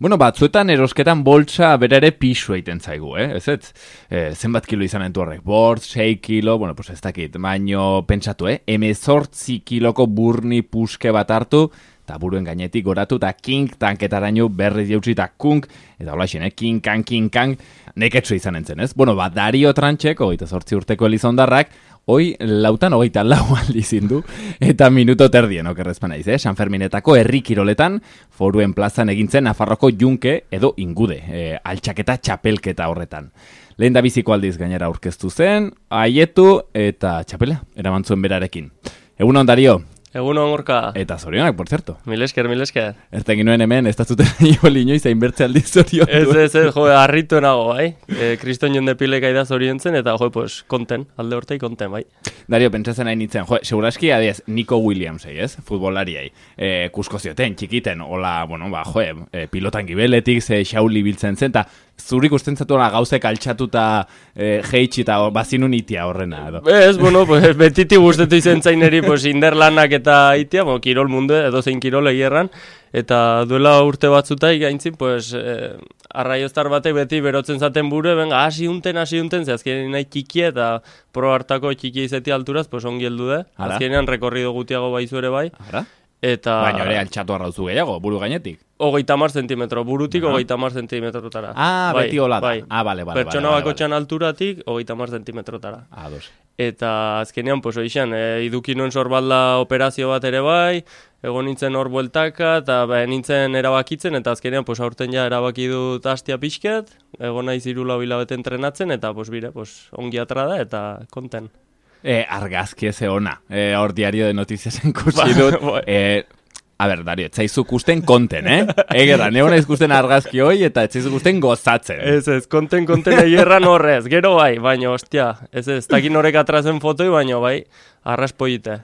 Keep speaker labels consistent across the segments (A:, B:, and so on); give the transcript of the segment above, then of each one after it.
A: Bueno, batzuetan erosketan boltsa bere ere pisu egiten zaigu, ez? Zenbat kilo izan entu horrek? 6 kilo, bueno, pues ez dakit, baino pentsatu, 18 kiloko burni puske bat hartu, eta buruen gainetik goratu, eta kink tanketaraino berriz jautsi, eta kunk, eta hola xin, kinkang, neketsu izan entzen, ez? Bueno, Dario Tranchek, 28 urteko Elizondarrak, hoi 24 aldiz indu, eta minuto terdien okerrezpan naiz, San Ferminetako herri kiroletan, Foruen plazan egintzen Nafarroko Junke edo Ingude, altxaketa txapelketa horretan. Lehen da biziko aldiz gainera aurkeztu zen, haietu eta txapela, eramantzuen berarekin. Egunon, Dario.
B: Egunon, Gorka.
A: Eta zorionak, por cierto.
B: Mil esker.
A: Erten ginoen hemen, ez da zuten inoiz hainbertze aldiz zorion du.
B: Ez, harritu nago, bai. Kriston jonde pileka ida zoriontzen, eta pues, konten, alde hortei konten, bai.
A: Dario, pentsatzen hain nintzen, seguraski adiez, Nico Williamsei, ez? Futbolariai. Kusko zioten, txikiten, hola, bueno, pilotan gibeletik, xauli biltzen zen, eta zurik usten zatu gauzek altxatuta jeitsi eta bazinun itia horrena, edo?
B: Ez, bueno, pues, betiti guztetu izen zaineri, pues, inderlanak eta itia, kirol mundu, edo zein kirol egierran, eta duela urte batzutai gaintzin, pues, arraioztar batek beti berotzen zaten buru, benga, hasi unten, ze azkenean nahi txikia eta pro hartako txikia izeti alturaz, pues, ongi heldu de. Azkenean rekorrido gutiago baizu ere bai.
A: Ara?
B: Eta...
A: Baina ere altxatu arrauzu gehiago, buru gainetik.
B: 30 zentimetro, burutik 30 zentimetrotara.
A: Beti hola da.
B: Bai.
A: Bale.
B: Pertsona bakotxan alturatik 30 zentimetrotara.
A: Dos.
B: Eta azkenean, pues, oixan, iduki nuen sorbalda operazio bat ere bai, egon nintzen hor bueltaka, eta nintzen erabakitzen, eta azkenean, pues, aurten ja erabaki dut hastia pixket, egon naiz 3 hilabete entrenatzen, eta, pues, bire, pues, ongi atra da, eta konten.
A: Argazki eze ona, hor diario de notiziasen kursi dut. A ber, Dario, etzaizuk usten konten, Egerra, neona izkusten argazki hoi, eta etzaizuk usten gozatzen.
B: Ez, konten egerran horrez, gero bai, baina, ostia, ez takin horrek atrazen fotoi, baina bai, arraspoite.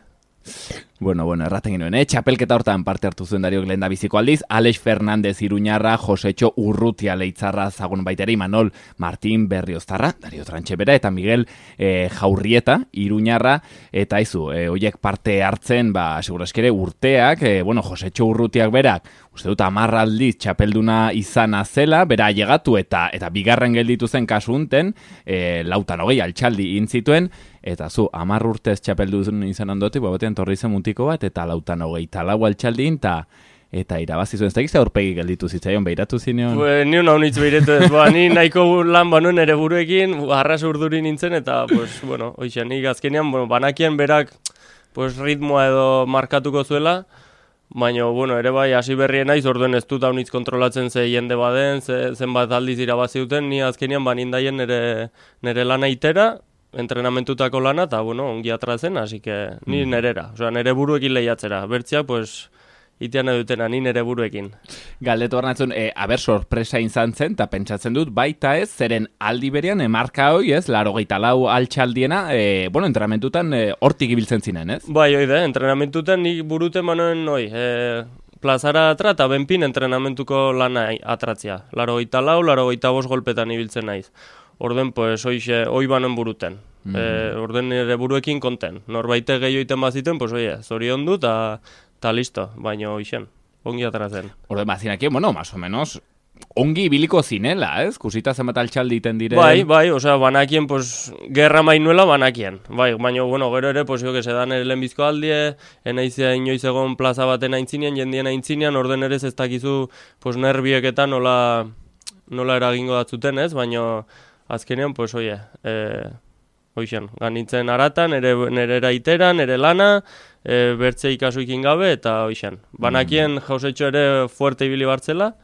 A: Bueno, erraten ginoen, txapelketa hortan parte hartu zuen Dariok lehen da biziko aldiz, Alex Fernandez Iruñarra, Josetxo Urrutia Leitzarra zagun baitera, Imanol Martín Berrioztarra, Dario Trantxebera, eta Miguel Jaurrieta Iruñarra, eta hoiek parte hartzen, seguraskere urteak, Josetxo Urrutiak berak, uste dut 10 aldiz txapelduna izana zela, bera llegatu eta bigarren gelditu zen kasu unten, 28 altxaldi intzituen, eta 10 urtez txapeldun izan ondotik, batean torri zen mutiko bat, eta 24 altxaldin, eta irabazi zuen, ez da gizte aurpegi gelditu zitzaion, behiratu zineon?
B: Ni una honitz behiratu ez, ni nahiko lan banuen ere buruekin, arras urduri nintzen, eta, pues, oixen, nik azkenean, banakien berak, pues, ritmoa edo markatuko zuela, baina, ere bai, hasi berrien naiz, orduen ez dut haunitz kontrolatzen ze jende baden, zenbat aldiz irabazi duten, ni azkenean banindaien nire lana itera, entrenamentutako lana, eta, ongi atrazen, hasi que ni nerera, nire buruekin lehiatzera, bertziak, pues, itean edutena, ni nire buruekin.
A: Galdetu harnatzen, sorpresa izan zen, eta pentsatzen dut, baita ez, zeren aldi berean, marka hoi, 84 altxaldiena, entrenamentutan hortik ibiltzen zinen, ez?
B: Bai, oide, entrenamentutan nik buruten manoen, plazara atra, eta benpin entrenamentuko lana atratzia. 84, 85 golpetan ibiltzen naiz. Orden, pues, hoi banen buruten. Orden nire buruekin konten. Norbaite gehioiten baziten, pues, zorion du, eta listo, baina hoixen, ongi atrazen.
A: Orden, bazinakien, más o menos, ongi ibiliko zinela, ez? Kusita zenbat altxaldi iten dire.
B: Bai, banakien, pues, gerra mainuela banakien. Bai, baina, gero ere, pues, que se dan ere lehenbizko aldie, enaizia inoiz egon plaza baten aintzinean, jendien aintzinean, orden ere ez dakizu, pues, nerbieketan nola eragingo datzuten, ez? Baina, azkenean, pues, hoixen, ganitzen aratan, nere iteran, nere lana, bertze ikasuikin gabe, eta hoixen. Banakien jausetxo ere fuerte ibili bartzela,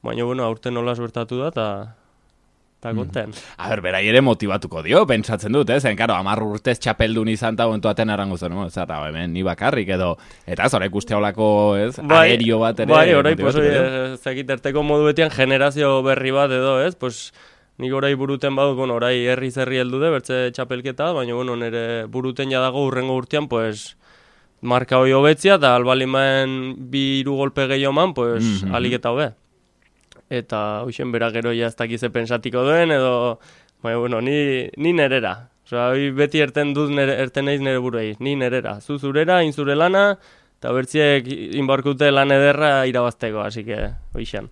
B: baina, aurten nola suertatu da, eta konten.
A: A ber, berai ere motibatuko dio, pentsatzen dut, zen, karo, 10 urtez txapeldun izan eta aten arango zen, zara, hemen, ni bakarrik edo, eta ez, horrek uste holako, aerio bat ere.
B: Bai, horrek, zekiterteko modu betian generazio berri bat edo, pues, nik orai buruten badut, orai herri-zerri heldu de, bertze txapelketa, baina, nire buruten jadago urrengo urtean, pues, marka hoi hobetzia, eta albalimaen 2 golpe gehioman, pues, alik eta hobe. Eta, hoxen, bera gero ez dakize pensatiko duen, edo, baina, ni nerera. Beti erten naiz nire buruei, ni nerera. Zu zurera, inzure lana, eta bertziek inbarkute lan ederra irabazteko, así que, hoixan.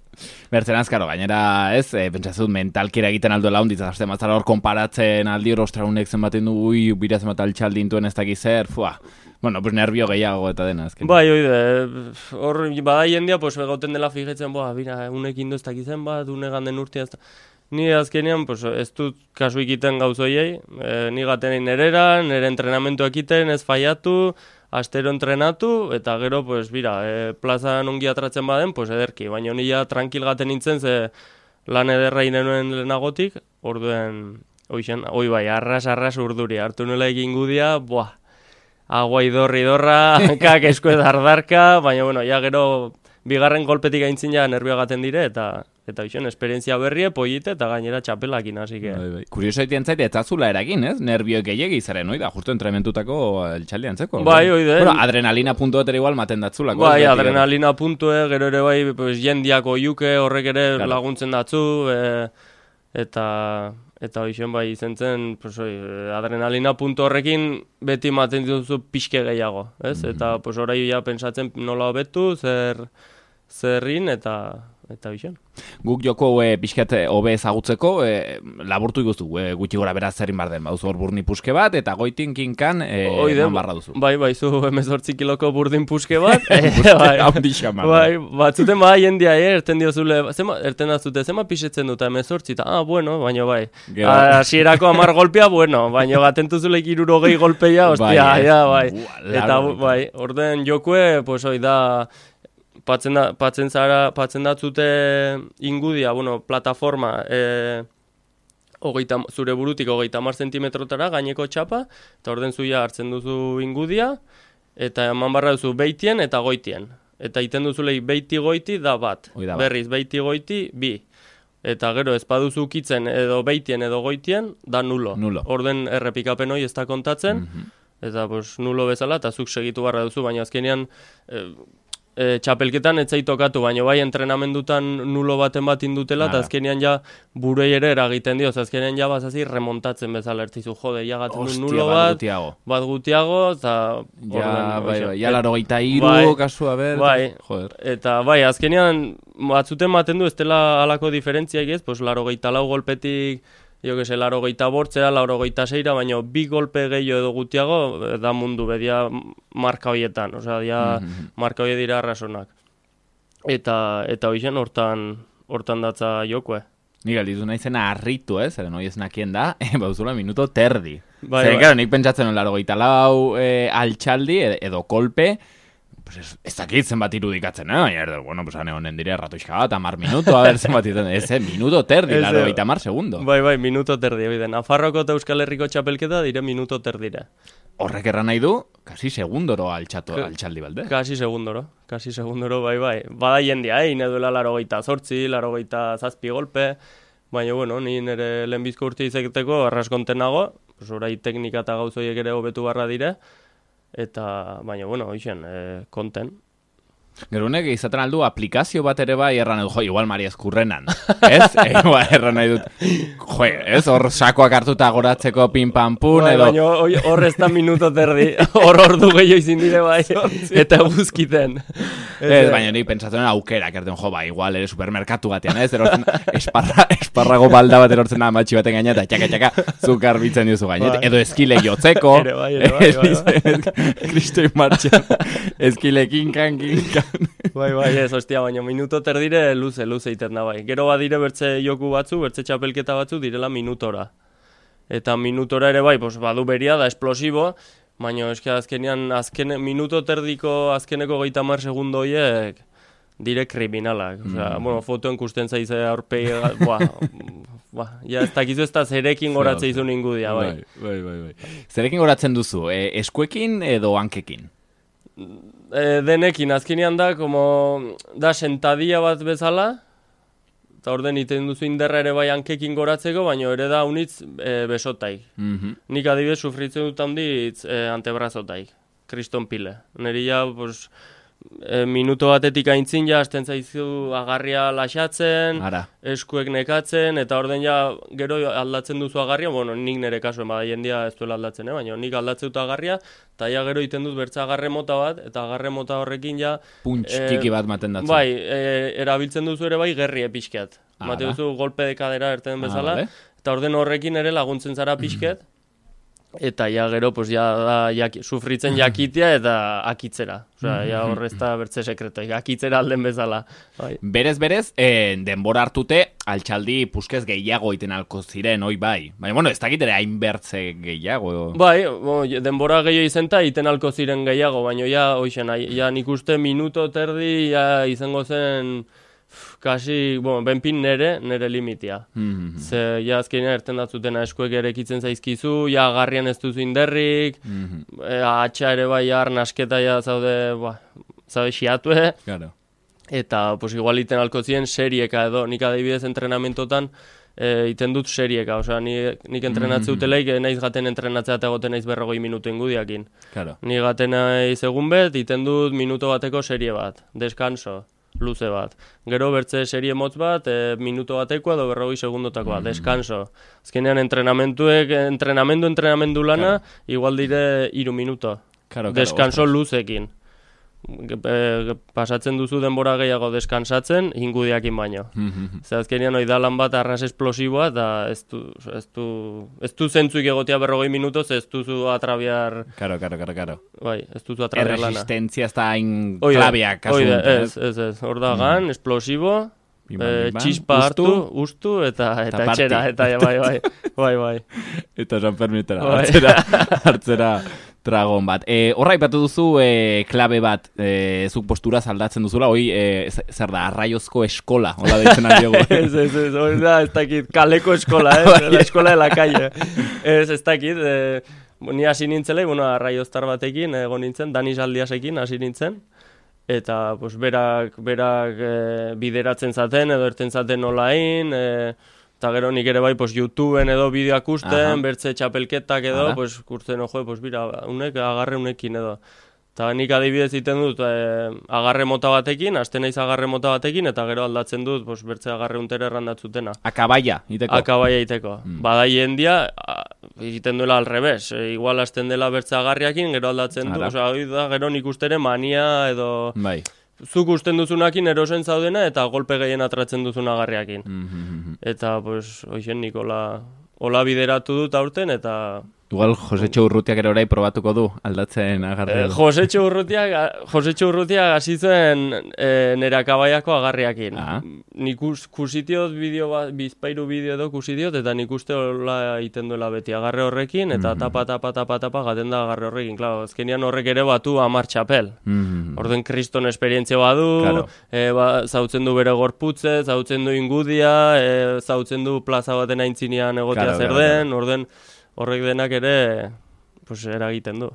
A: Bertzen azkaro, gainera, ez, pentsazut mentalkira egiten aldo laun, ditzazte mazara hor konparatzen aldi hor ostraunek zenbaten du, bira zenbat altxaldintuen ez dakiz zer, bueno, pues nervio gehiago eta dena, azken.
B: Bai, oide, hor bada jendia, pues begoten dela fijetzen, bira, unekin du ez dakizen bat, unegan den urtia, ni azkenean, pues, ez dut kasu ikiten gauzoiei, ni gaten nerera, nire entrenamentuak iten, ez faiatu, astero entrenatu, eta gero, pues, bira, plazan ongi atratzen baden, pues, ederki, baina ni ja tranquil gaten nintzen, ze lan ederra inenuen lehenagotik, orduen, hoi bai, arras urduri, hartu nuela egin gudia, agua idorra, hankak eskuez ardarka, baina, bueno, ja gero, bigarren golpetik aintzin ja nervio gaten dire, eta bixen, esperientzia berrie, pollite, eta gainera txapelakin, hasi que...
A: Bai. Kurioso egiten zaite, ez azula eragin, ez? Nervio gehiagi zaren, oida, justo entrementutako eltsaldi antzeko.
B: Bai, oide.
A: Bueno, adrenalina puntuet ere igual maten datzulako.
B: Bai, adrenalina puntue, gero ere bai, pues, jendiako juke, horrek ere laguntzen datzu, eta bixen bai izen zen, pues, adrenalina puntu horrekin beti maten dituzu pixke gehiago, ez? Eta, pues, orai ja pensatzen nola hobetu, zerrin, eta bixen.
A: Guk joko pixkat hobe ezagutzeko, laburtu iguzu, gutxi gora beraz zerin bar den, bauzu hor burni puske bat, eta goitin kinkan eman barra duzu.
B: Bai, zu 18 kiloko burdin puske bat.
A: Bai,
B: batzuten jendia, erten diozule, erten azute, zema pixetzen dut, 18, eta, bueno, baina bai. Hasierako 10 golpea, bueno, baina gatentuzule 60 golpeia, ostia, bai. Eta, bai, orden jokue, pues, da... Patzen datzute ingudia, bueno, plataforma, zure burutik 30 zentimetrotara gaineko txapa, eta orden zuia hartzen duzu ingudia, eta eman barra duzu beitien eta goitien. Eta iten duzulei beiti goiti da bat, berriz beiti goiti bi. Eta gero ez baduzu ukitzen edo beitien edo goitien, da nulo. Orden errepikapen hori ez da kontatzen, eta pues, nulo bezala, eta zuk segitu barra duzu, baina azkenean... txapelketan etzai tokatu, baina bai entrenamendutan nulo baten bat indutela, eta azkenean ja burei ere eragiten dio, azkenean ja bazazi remontatzen bezala ertzizu, jode, ja gaten du nulo bat gutiago, eta...
A: Ja, laro gaita iru, kasua ber,
B: joder. Eta bai, azkenean batzuten maten du, ez dela alako diferentziak ez, pues laro gaita lau golpetik, jo que se, laro gaita bortzea, laro gaita seira, baina bi golpe gehiago edo gutiago, da mundu, bedia marka horietan, osea, dia marka horie dira arrasonak. Eta hoixen, hortan datza jokue.
A: Nik aldizu nahi zena harritu, zeren hoi ez nakien da, bauzula minuto terdi. Zeren, claro, nik pentsatzen laro gaita lau altxaldi edo kolpe, pues ez dakit zenbat irudikatzen, bueno, pues ane honen dire ratoixka bat, 10 minuto, a ver zenbat itzen, minuto terdi, laro gaita 10 segundo.
B: Bai, minuto terdi, oide, Nafarroko eta Euskal Herriko txapelketa dire minuto terdire.
A: Horrek erran nahi du, kasi segundoro altxaldi balde.
B: Kasi segundoro, bai. Bada jendia, ine duela laro gaita 8, laro gaita 7 golpe, baina, bueno, ni nire lehenbizko urte izeketeko arraskonten nago, pues orai teknika eta gauzoiek ere hobetu barra dire, eta, baina, bueno, hoixen, konten.
A: Gerunek izaten aldu aplikazio bat ere bai erran edu, igual Maria Eskurrenan, ez? Erran nahi dut, ez? Hor sakoak hartuta goratzeko pin-pam-pun edo...
B: Baina hor ez da minuto terdi, hor ordu gehiago izin dire bai, eta guzkiten.
A: Baina nik pentsatzen aukerak erten, igual ere supermerkatu batean, ez? Erortzen esparrago balda bat erortzen da matxi baten gaina, eta txaka, zukar bitzen diozu gainet, edo eskile jotzeko, Kristoi martxan, eskile kinkan.
B: Bai, ez, ostia, baina minuto terdire luze iten da, bai. Gero badire bertze joku batzu, bertze txapelketa batzu, direla minutora. Eta minutora ere bai, pues, badu beria da, esplosibo, baina eske azkenean, minuto terdiko azkeneko 30 segundo horiek dire kriminalak. Osea, bueno, fotoen kusten zaize aurpegi, ja, ez dakizu ez da zerekin goratze izun ingudia, bai.
A: Bai. Zerekin goratzen duzu, eskuekin edo hankekin?
B: Denekin, azkenean da sentadia bat bezala, eta orden iten duzu inderra ere bai hankekin goratzeko, baina ere da unitz besotaik. Nik adibidez sufritzen dut handitz antebrazotaik, kriston pile. Neri ja, pues, minuto batetik aintzin ja hasten zaizu agarria laxatzen, eskuek nekatzen, eta orden ja gero aldatzen duzu agarria, bueno, nik nire kasuen bada jendia ez duela aldatzen, baina nik aldatzen dut agarria, eta ja gero iten dut bertza agarre mota bat, eta agarre mota horrekin ja...
A: Punts txiki bat maten datzen.
B: Bai, erabiltzen duzu ere bai gerri pixket. Mate duzu golpe de kadera erten bezala, eta orden horrekin ere laguntzen zara pixket, eta ja gero pues ja sufritzen jakitea eta akitzera. Osea, ja horrezta bertze sekreto, akitzera alden bezala. Bai.
A: Berez, denbora hartute altxaldi puskez gehiago iten alko ziren, oi bai. Baina, bueno, ez dakit ere hainbertze gehiago.
B: Bai, denbora gehiago izenta iten alko ziren gehiago, baina ja, hoixen, ja nik uste minuto terdi ja izango zen... kasi, benpin nere limitia. Ze, ja azkenean erten datzutena eskuek erekitzen zaizkizu, ja agarrian ez duzu inderrik, atxa ere bai arnasketa ja zaude xiatue, eta pues igual iten alko ziren serieka edo, nik adibidez entrenamentotan iten dut serieka, osea, nik entrenatze uteleik, naiz gaten entrenatzea eta goten naiz 40 minutu ingudiakin. Nik gaten naiz egun bet, iten dut minuto bateko serie bat, deskanso. Luze bat. Gero bertze serie motz bat, minuto bateko edo 40 segundotakoa, deskanso. Azkenean entrenamendu lana, igual dire 3 minuto. Deskanso luzekin. Pasatzen duzu denbora gehiago deskansatzen, ingudiakin baino. Zer azkenean oidalan bat arras esplosiboa, eta ez du zentzuik egotea 40 minutoz, ez duzu atrabiar...
A: Karo.
B: Bai, ez duzu atrabiar lana.
A: Erresistentzia ez da hain klabiak.
B: Ez. Hor da gan, esplosibo, txispa hartu, ustu, eta etxera, eta bai.
A: Eta San Fermitera, hartzera dragon bat. Horra ipatu duzu klabe bat, zuk posturaz aldatzen duzula, hoi, zer da, arraiozko eskola, hola deitzen aldiogu.
B: Ez, hori da, ez dakit, kaleko eskola, la eskola de la calle. Ez dakit, ni hasi nintzela, arraioztar batekin, egon nintzen, Danis Aldiasekin hasi nintzen, eta pues, berak bideratzen zaten, edo erten zaten nolain, eta gero nik ere bai, pues, YouTubeen edo bideoak usten, bertze txapelketak edo, pues, kurtzen, pues, bira, agarre unekin edo. Eta nik adibidez iten dut agarre mota batekin, hasten naiz agarre mota batekin, eta gero aldatzen dut, pues, bertze agarre untere errandatzutena.
A: Akabaia iteko.
B: Bada jendia, egiten duela alrebes. Igual hasten dela bertze agarriakin, gero aldatzen du. Osea, gero nik ustere mania edo...
A: Bai.
B: Zuk usten duzunakin erosen zaudena eta golpe gehien atratzen duzun agarriakin. Eta, pues, hoxen nik hola bideratu dut aurten, eta...
A: Igual Josetxo Urrutiak ere orai probatuko du aldatzen agarrea.
B: Josetxo Urrutiak hasi zuen nire akabaiako agarriakin. Nik kusitiot bideo bat, bizpairu bideo edo kusitiot, eta nik uste hola egiten duela beti agarre horrekin, eta tapa gaten da agarre horrekin. Claro, azkenean horrek ere batu 10 txapel. Orden kriston esperientzia badu, zautzen du bere gorputze, zautzen du ingudia, zautzen du plaza baten aintzinean egotea zer den, orden... Horrek denak ere, pues, eragiten du.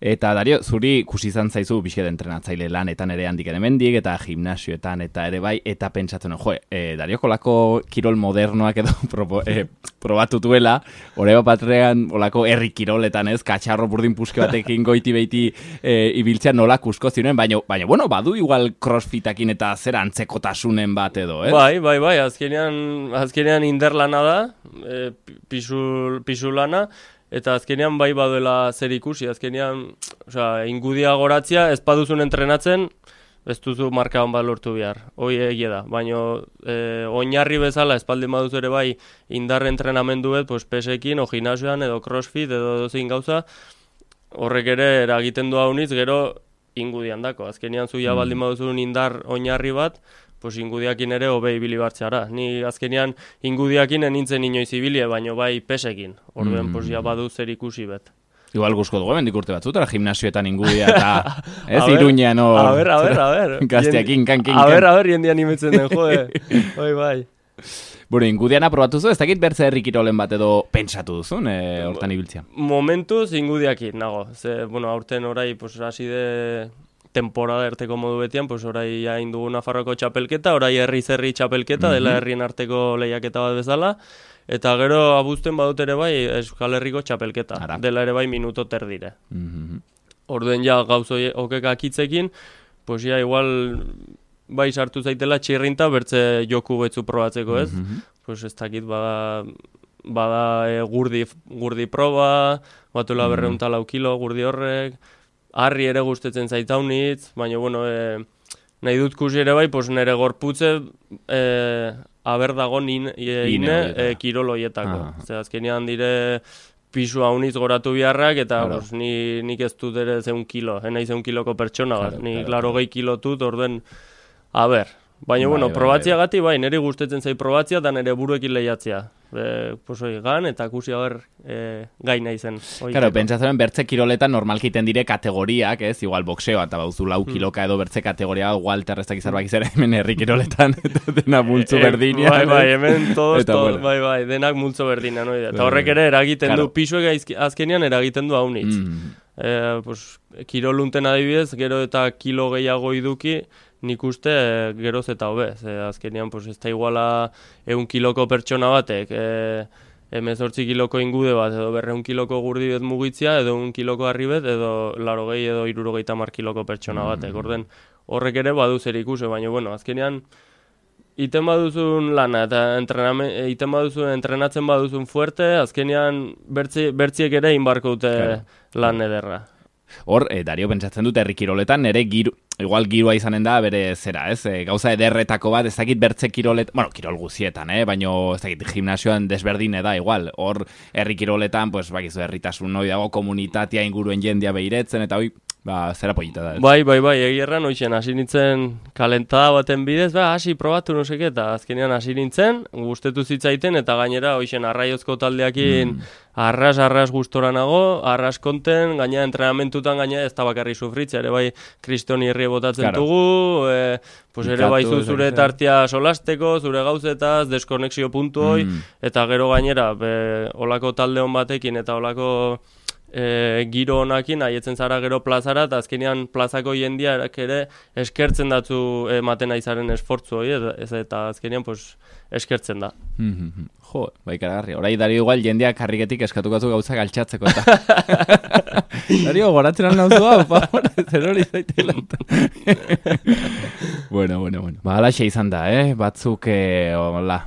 A: Eta, Dario, zuri ikusi izan zaizu pixket entrenatzaile lanetan ere handik hemendik eta gimnasioetan eta ere bai, eta pentsatzen, Dario kolako kirol modernoak edo probatu duela, hori batrean olako herri kiroletan ez, katxarro burdin puske batekin goiti-beiti ibiltzean nola kusko ziren, baina, bueno, badu igual crossfitakin eta zer antzekotasunen bat edo, ez?
B: Bai, azkenean inderlana da, pisulana, eta azkenean bai baduela zer ikusi, azkenean ingudia goratzea, ez paduzun entrenatzen, ez duzu marka hon bat lortu behar, hoi egia da, baina oinarri bezala, espaldin baduz ere bai indarre entrenamenduet, pues, pesekin, o gimnasioan, edo crossfit, edo zein gauza, horrek ere eragiten du haunitz, gero ingudian dako, azkenean zuia baldin baduzun indar oinarri bat, pues ingudiakin ere hobe ibili bartzeara. Ni azkenean ingudiakin enintzen inoiz ibilie, baino bai pesekin. Orduen, pues ja badu zer ikusi bet.
A: Igual guzko dugu, bendik urte batzutara, gimnasioetan ingudia eta ez Iruñean hor...
B: A ver.
A: Gazteakin, kankin.
B: A ver, jendian imetzen den, bai.
A: Bueno, ingudian aprobatu zu, ez dakit bertze herri kirolen bat edo pentsatu duzun, hortan ibiltzea?
B: Momentuz ingudiakin, nago. Ze, aurten orai, pues, hasi de... temporada erteko modu betian, pues orai hain dugu Nafarroko txapelketa, orai herri txapelketa, dela herrien arteko lehiaketa bat bezala, eta gero abuzten badut ere bai Euskal Herriko txapelketa, dela ere bai minuto terdire. Orduen ja gauz okek akitzekin, pues ja, igual, bai sartu zaitela txirrinta bertze joku betzu probatzeko, ez? Pues ez dakit, bada gurdi proba, batula 204 kilo gurdi horrek, harri ere gustetzen zaitaunitz, baina, bueno, nahi dut kusi ere bai, pues nire gorputze aber dago kiroloietako. Zer, azkenean dire pisu haunitz goratu biharrak, eta pues, nik ez dut ere 100 kilo, nahi 100 kiloko pertsona bat, nik 80 kilotut, orden, baina, bueno, probatzia gati, bai, niri gustetzen zai probatzia, eta nire buruekin lehiatzea. Gan, eta kusi gai nahi zen.
A: Claro, pentsatzen bertze kiroletan normalkiten dire kategoriak, ez? Igual boxeoa, eta bauzu 4 kiloka edo bertze kategoria, igual terrestak izarbak izera, hemen herri kiroletan, eta dena multzo berdina.
B: Bai, hemen todos, bai, denak multzo berdina, no? Eta horrek ere eragiten du, pisuek azkenean eragiten du haunitz. Kirolunten adibidez, gero eta kilo gehiago iduki, nik uste geroz eta hobe. Azkenean, ez da iguala 100 kiloko pertsona batek, 18 kiloko ingude bat, edo 200 kiloko gurdi bet mugitzia, edo 1 kiloko harri bet, edo 80 edo 70 kiloko pertsona batek. Orden horrek ere badu zer ikuse, baina, bueno, azkenean, iten baduzun lana, eta entrenatzen baduzun fuerte, azkenean bertziek ere inbarko dute lan ederra.
A: Hor, Dario, pentsatzen dut herri kiroletan, nire igual girua izanen da, bere zera, ez? Gauza ederretako bat, ez dakit bertze kiroletan, bueno, kirol guzietan, baina ez dakit gimnasioan desberdine da, igual. Hor, herri kiroletan, pues, bakizu, herritasun hoi dago, komunitatea inguruen jendia behiretzen, eta hoi, zera polita da.
B: Bai, egierran, hoixen, hasi nintzen kalentada baten bidez, hasi probatu nuseke, eta azkenean hasi nintzen, gustetu zitzaiten, eta gainera, hoixen, arraiozko taldeakin arras gustora nago, arras konten, gaina entrenamentutan, gaina ez da bakarri sufritzea, ere bai, kristoni herri botatzen dugu, ere baizu zure tartia solasteko, zure gauzetaz, deskonexio puntu hoi, eta gero gainera, olako talde hon batekin, eta olako giro honakin, haietzen zara gero plazara, eta azkenean plazako jendia ere eskertzen datzu ematen aizaren esfortzu hori, eta azkenean eskertzen da.
A: Jo, ikaragarri. Horai, Dario, igual jendeak karriketik eskatuko gauzak altxatzeko eta. Dario, goratzen al nauzu hau, favor, zer hori zaitela. Bueno. Alaxe izan da, batzuk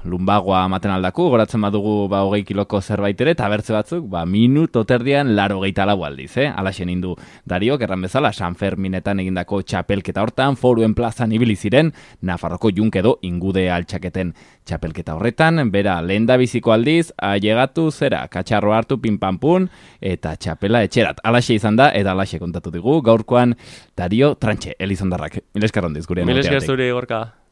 A: lumbagoa maten aldaku, goratzen badugu 20 kiloko zerbait ere, eta bertze batzuk, minuto terdian 84 aldiz, alaxe nindu Dario, erran bezala, San Ferminetan egindako txapelketa hortan, Foruen plazan ibili ziren, Nafarroko Junk edo ingude altxaketen txapelketa horretan, bera lenda biziko aldiz, ailegatu zera, katxarro hartu pinpampun, eta txapela etxerat. Alaxe izan da, eta alaxe kontatu digu, gaurkoan Dario Trantxe, Elizondarrak. Mil esker hondiz, gure.
B: Mil esker zuri, Gorka.